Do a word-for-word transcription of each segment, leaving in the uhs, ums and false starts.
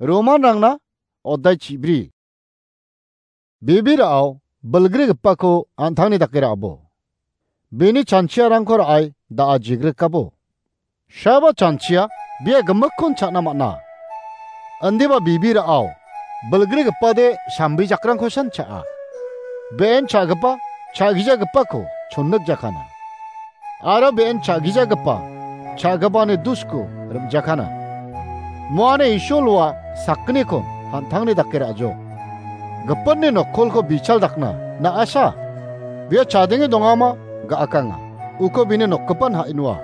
Romanrangna oddai chibri. Bibirao bilgrigipako an·tangni dake ra·abo. Bini chanchiarangko ra·ai da·a jigrikabo. Shaba chanchia bia gimikkon cha·na man·a. Indiba bibirao bilgrigipade sambijakrangkosan cha·a. Be·en cha·gipa cha·gijagipako chonnikjakana. Aro be·en cha·gijagipa cha·gipani dusko rim·jakana. Muane Isolwa sakgnikon an·tangni dake ra·jo. Gipinni nokkolko bichal dakna na·asa. Bia chadenge dongama ga·akanga. Uko bini nokgipan ha·inua.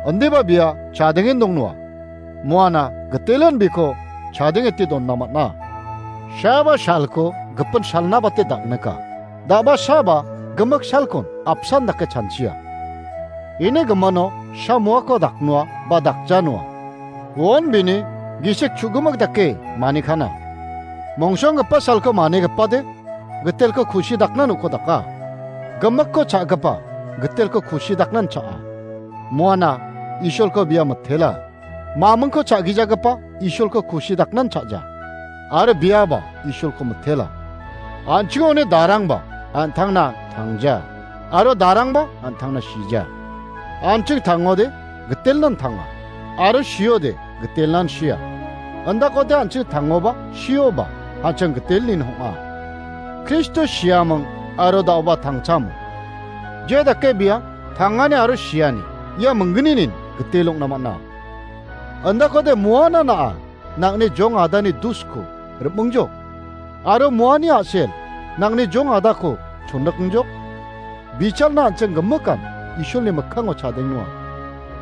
Indiba bia chadengen dongnoa. Muana gitelin biko chadengete donna man·a. Shaba shalko gipin shalna bate daknika. Da·ba shaba gimik shalkon apsan dake chanchia. Ini gimano sha muako daknoa ba dakjanoa. Uon bini gisik chu·gimik dake manikana. Mongsonggipa shalko manigipade gitelko kusi dakna noko daka. Gimikko cha·gipa gitelko kusi daknan cha·a. Muana Isolko bia mitela. Mamingko cha·gijagipa Isolko kusi daknan cha·ja. Aro biaba Isolko mitela. An·chingoni darangba an·tangna tangja. Aro darangba an·tangna shija. An·ching tangode gitelnan tanga. Aro shiode gitelnan shia. Indakode an·ching tangoba shioba an·ching gitelnin hong·a. Kristo shiaming aro da·oba tangchamo. Je dake bia tangani aro shiani ia minggninin gitel ong·na man·a. Indakode muana na·a nang·ni jong adani dusko rim·ingjok. Aro muani a·sel nang·ni jong adako chonnikingjok. Bichalna an·ching gimikan Isolni mikkango chadengnoa.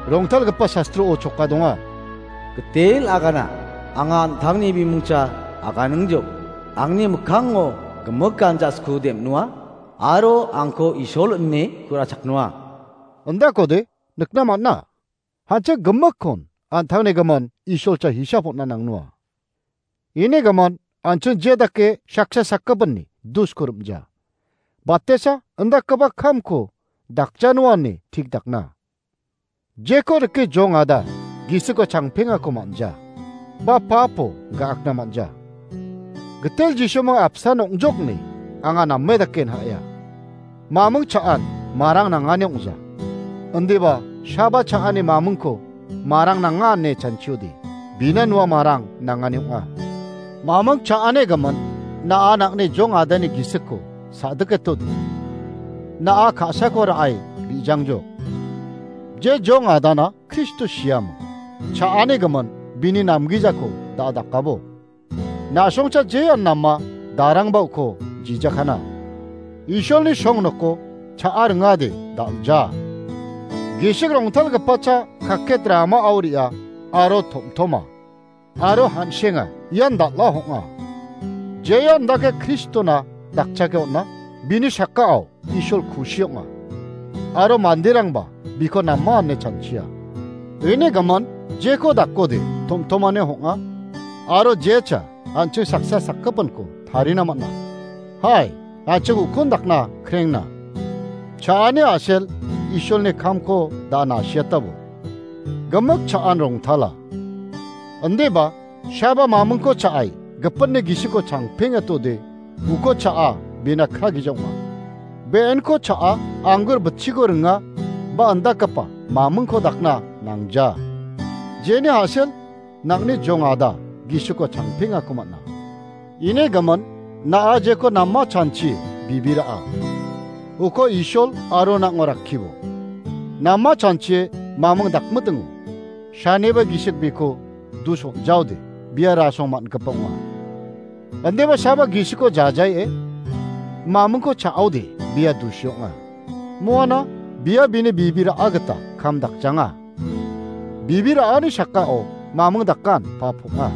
Rongtalgipa sastro-o choka donga. Gitel agana, anga an·tangni bimungcha aganingjok. Angni mikkango gimikan ja·sku dem·noa, aro angko Isol ine ku·rachaknoa. Indakode nikna man·a. Hancha gimikkon an·tangni gimin Isolcha hisap on·na nangnoa. Ini gimin an·ching je dake saksa sakgipinni dusko rim·ja. Batesa indakgipa kamko dakjanoani tik dakna. Jeko rike jong ada gisiko changpengako man·ja. Ba papo ga·akna man·ja. Gitel Jisuming apsan ong·jokni anga name daken ha·ya. Maming cha·an marang nangani ong·ja. Indiba shaba cha·ani mamingko marang nanga ine chanchiode. Bina nua marang nangani ong·a. Maming cha·ani gimin na·a nang·ni jong adani gisikko sa·diketode. Na·a ka·sako ra·e ri·jangjok. Je jong adana Kristo siamo. Cha·ani gimin bini namgijako da·a dakabo. Na·songcha jean nama darangba uko jijakana. Isolni song noko cha·a ringade dal·ja. Gisik rongtalgipacha kaket rama aoria aro tom·toma. Aro han·senga ian dal·a hong·a. Jean dake Kristona dakchake on·a, bini sakao Isol kusi ong·a. Aro manderangba biko nama ine chanchia. Ine gaman jeko dakode tom·tomane hong·a. Aro jecha an·ching saksa sakgipinko tarina man·a. Hai, an·ching ukon dakna krengna. Cha·ani a·sel Isolni kamko da nasiatabo. Gimik cha·an rongtala. Indiba, shaba mamingko cha·ai, gipinni gisiko changpengatode, uko cha·a, bina kragija ong·a. Be·enko cha·a, anggur bitchiko ringa, ba indakgipa mamingko dakna nangja. Jeni a·sel, nang·ni jong ada, gisiko changpengako man·a. Ine gaman, na·a jeko nama chanchi bibira·a. Uko Isol aro nang·o rakkibo. Nama chanchie maming dakmitingo. Saniba gisik biko dus on·jaode, bia rasong man·gipa ong·a. Andeba saba gisiko jajaie, mamingko cha·ode, bia dusi ong·a. Moana, bia bini bibira·a gita kam dakjanga. Bibira·ani sakao maming dakan pa pok·a.